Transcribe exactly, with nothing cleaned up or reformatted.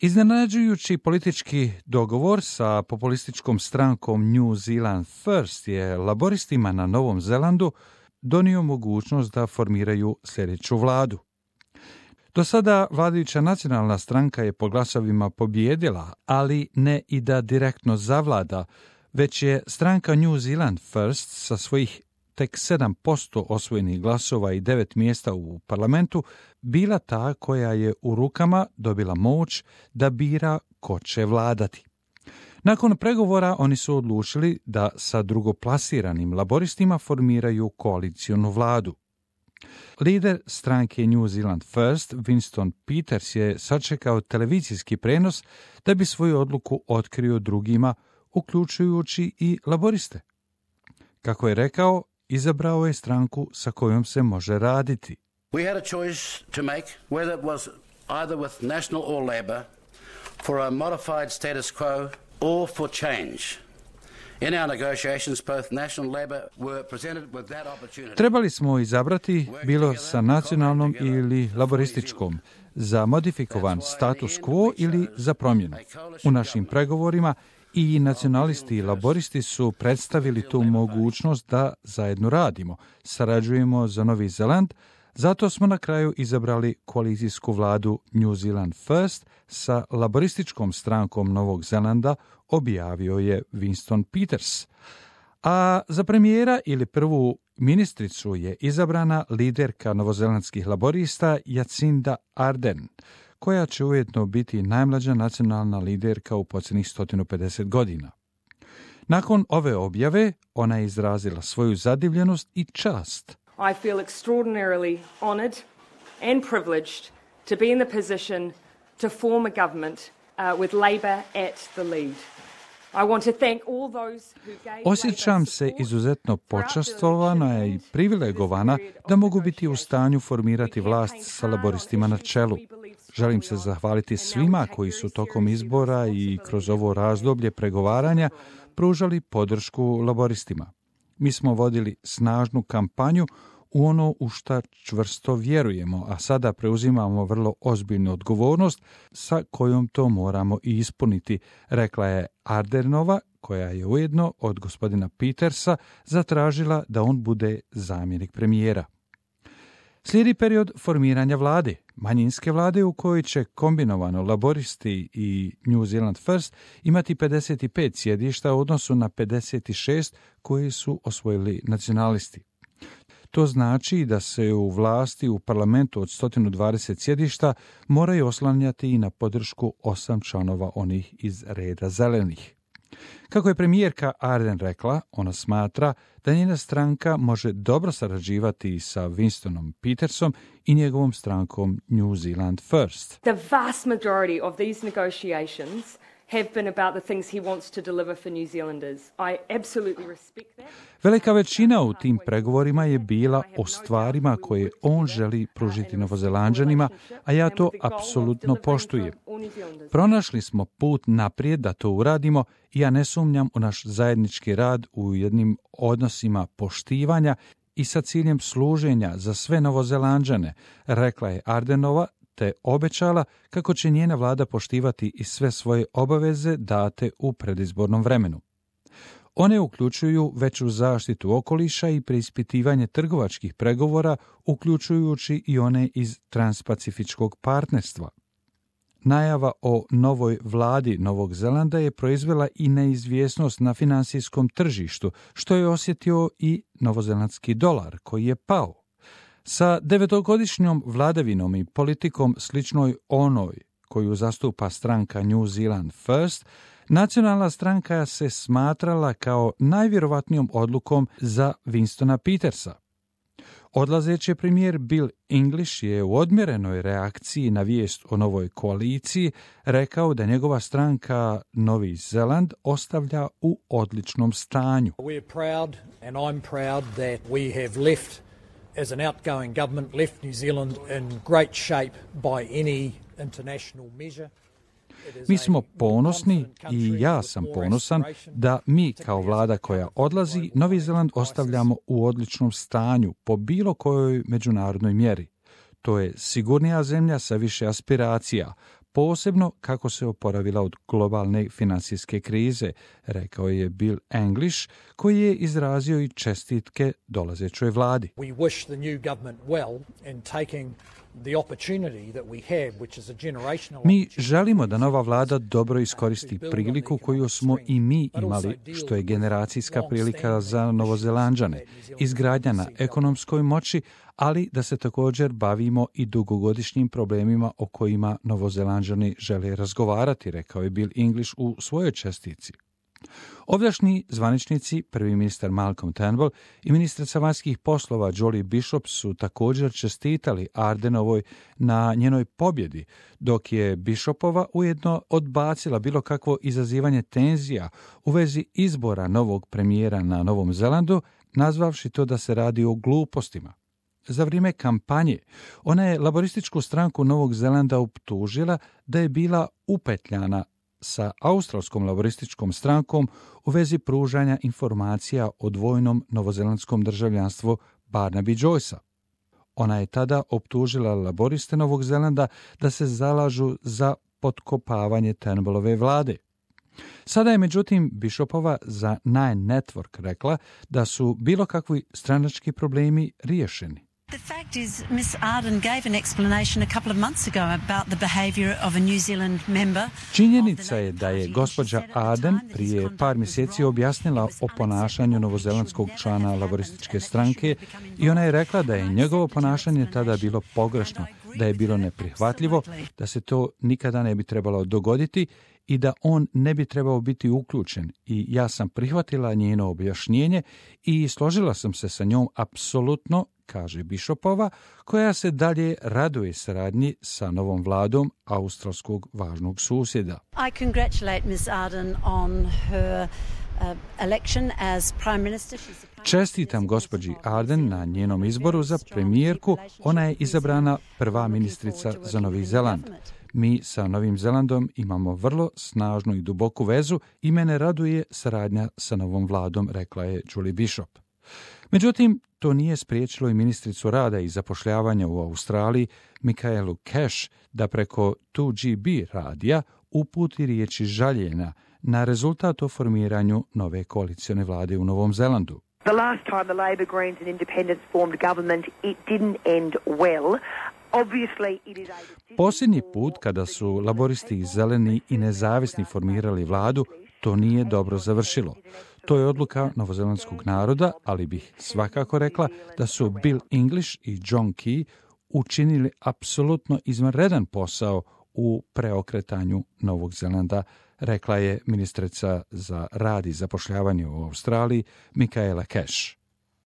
Iznenađujući politički dogovor sa populističkom strankom New Zealand First je laboristima na Novom Zelandu donio mogućnost da formiraju sljedeću vladu. Do sada vladajuća nacionalna stranka je po glasovima pobijedila, ali ne i da direktno zavlada, već je stranka New Zealand First sa svojih tek sedam posto osvojenih glasova i devet mjesta u parlamentu bila ta koja je u rukama dobila moć da bira ko će vladati. Nakon pregovora oni su odlučili da sa drugoplasiranim laboristima formiraju koalicijonu vladu. Lider stranke New Zealand First, Winston Peters, je sačekao televizijski prenos da bi svoju odluku otkrio drugima, uključujući i laboriste. Kako je rekao, izabrao je stranku sa kojom se može raditi. We had a choice to make whether it was either with National or Labor for a modified status quo or for change. In our negotiations, both National and Labor were presented with that opportunity. Trebali smo izabrati bilo sa nacionalnom ili laborističkom, za modifikovan status quo ili za promjenu. U našim pregovorima i nacionalisti i laboristi su predstavili tu mogućnost da zajedno radimo, sarađujemo za Novi Zeland, zato smo na kraju izabrali koalicijsku vladu New Zealand First sa laborističkom strankom Novog Zelanda, objavio je Winston Peters. A za premijera ili prvu ministricu je izabrana liderka novozelandskih laborista Jacinda Ardern, koja će ujedno biti najmlađa nacionalna liderka u posljednjih sto pedeset godina. Nakon ove objave, ona je izrazila svoju zadivljenost i čast. I feel extraordinarily honoured and privileged to be in the position to form a government uh, with Labor at the lead. I want to thank all those who gave Osjećam se izuzetno počastvovana i privilegovana da mogu biti u stanju formirati vlast sa laboristima na čelu. Želim se zahvaliti svima koji su tokom izbora i kroz ovo razdoblje pregovaranja pružali podršku laboristima. Mi smo vodili snažnu kampanju u ono u šta čvrsto vjerujemo, a sada preuzimamo vrlo ozbiljnu odgovornost sa kojom to moramo i ispuniti, rekla je Ardernova, koja je ujedno od gospodina Petersa zatražila da on bude zamjenik premijera. Slijedi period formiranja vlade, manjinske vlade u kojoj će kombinovano laboristi i New Zealand First imati pedeset pet sjedišta u odnosu na pedeset šest koji su osvojili nacionalisti. To znači da se u vlasti u parlamentu od sto dvadeset sjedišta moraju oslanjati i na podršku osam članova onih iz reda zelenih. Kako je premijerka Ardern rekla, ona smatra da njena stranka može dobro sarađivati sa Winstonom Petersom i njegovom strankom New Zealand First. The vast majority of these negotiations have been about the things he wants to deliver for New Zealanders. I absolutely respect that. Velika većina u tim pregovorima je bila o stvarima koje on želi pružiti Novozelanđanima, a ja to apsolutno poštujem. Pronašli smo put naprijed da to uradimo i ja ne sumnjam u naš zajednički rad u jednim odnosima poštivanja i sa ciljem služenja za sve Novozelanđane, rekla je Ardernova, te obećala kako će njena vlada poštivati i sve svoje obaveze date u predizbornom vremenu. One uključuju veću zaštitu okoliša i preispitivanje trgovačkih pregovora, uključujući i one iz Transpacifičkog partnerstva. Najava o novoj vladi Novog Zelanda je proizvela i neizvjesnost na financijskom tržištu, što je osjetio i novozelandski dolar, koji je pao. Sa devetogodišnjom vladavinom i politikom sličnoj onoj koju zastupa stranka New Zealand First, nacionalna stranka se smatrala kao najvjerovatnijom odlukom za Winstona Petersa. Odlazeći premijer Bill English je u odmjerenoj reakciji na vijest o novoj koaliciji rekao da njegova stranka Novi Zeland ostavlja u odličnom stanju. We're proud and I'm proud that we have left as an outgoing government left New Zealand in great shape by any international measure. Mi smo ponosni i ja sam ponosan da mi kao vlada koja odlazi Novi Zeland ostavljamo u odličnom stanju po bilo kojoj međunarodnoj mjeri. To je sigurnija zemlja sa više aspiracija, posebno kako se oporavila od globalne financijske krize, rekao je Bill English, koji je izrazio i čestitke dolazećoj vladi. We wish the new government well in taking the opportunity that we have, which is a generational Mi želimo da nova vlada dobro iskoristi priliku koju smo i mi imali, što je generacijska prilika za Novozelanđane, izgradnja na ekonomskoj moći, ali da se također bavimo i dugogodišnjim problemima o kojima Novozelanđani žele razgovarati, rekao je Bill English u svojoj čestici. Ovdašnji zvaničnici, prvi ministar Malcolm Turnbull i ministrica vanjskih poslova Julie Bishop su također čestitali Ardenovoj na njenoj pobjedi, dok je Bishopova ujedno odbacila bilo kakvo izazivanje tenzija u vezi izbora novog premijera na Novom Zelandu, nazvavši to da se radi o glupostima. Za vrijeme kampanje ona je laborističku stranku Novog Zelanda optužila da je bila upetljana sa australskom laborističkom strankom u vezi pružanja informacija o dvojnom novozelandskom državljanstvu Barnaby Joycea. Ona je tada optužila laboriste Novog Zelanda da se zalažu za potkopavanje Turnbullove vlade. Sada je međutim Bishopova za Nine Network rekla da su bilo kakvi stranački problemi riješeni. The fact is, Miss Arden gave an explanation a couple of months ago about the behaviour of a New Zealand member. Činjenica je da je gospođa Arden prije par mjeseci objasnila o ponašanju novozelandskog člana laborističke stranke i ona je rekla da je njegovo ponašanje tada bilo pogrešno, da je bilo neprihvatljivo, da se to nikada ne bi trebalo dogoditi i da on ne bi trebao biti uključen. I ja sam prihvatila njeno objašnjenje i složila sam se sa njom apsolutno, kaže Bishopova, koja se dalje raduje saradnji sa novom vladom australskog važnog susjeda. I congratulate Miss Arden on her uh, election as Prime Minister. Čestitam gospođi Arden na njenom izboru za premijerku. Ona je izabrana prva ministrica za Novi Zeland. Mi sa Novim Zelandom imamo vrlo snažnu i duboku vezu i mene raduje saradnja sa novom vladom, rekla je Julie Bishop. Međutim, to nije spriječilo i ministricu rada i zapošljavanja u Australiji, Michaelu Cash, da preko two G B radija uputi riječi žaljenja na rezultat o formiranju nove koalicione vlade u Novom Zelandu. The last time the Labor, Greens and Independents formed government, it didn't end well. Posljednji put kada su laboristi, zeleni i nezavisni formirali vladu, to nije dobro završilo. To je odluka novozelandskog naroda, ali bih svakako rekla da su Bill English i John Key učinili apsolutno izvanredan posao u preokretanju Novog Zelanda, rekla je ministrica za rad i zapošljavanje u Australiji Michaela Cash.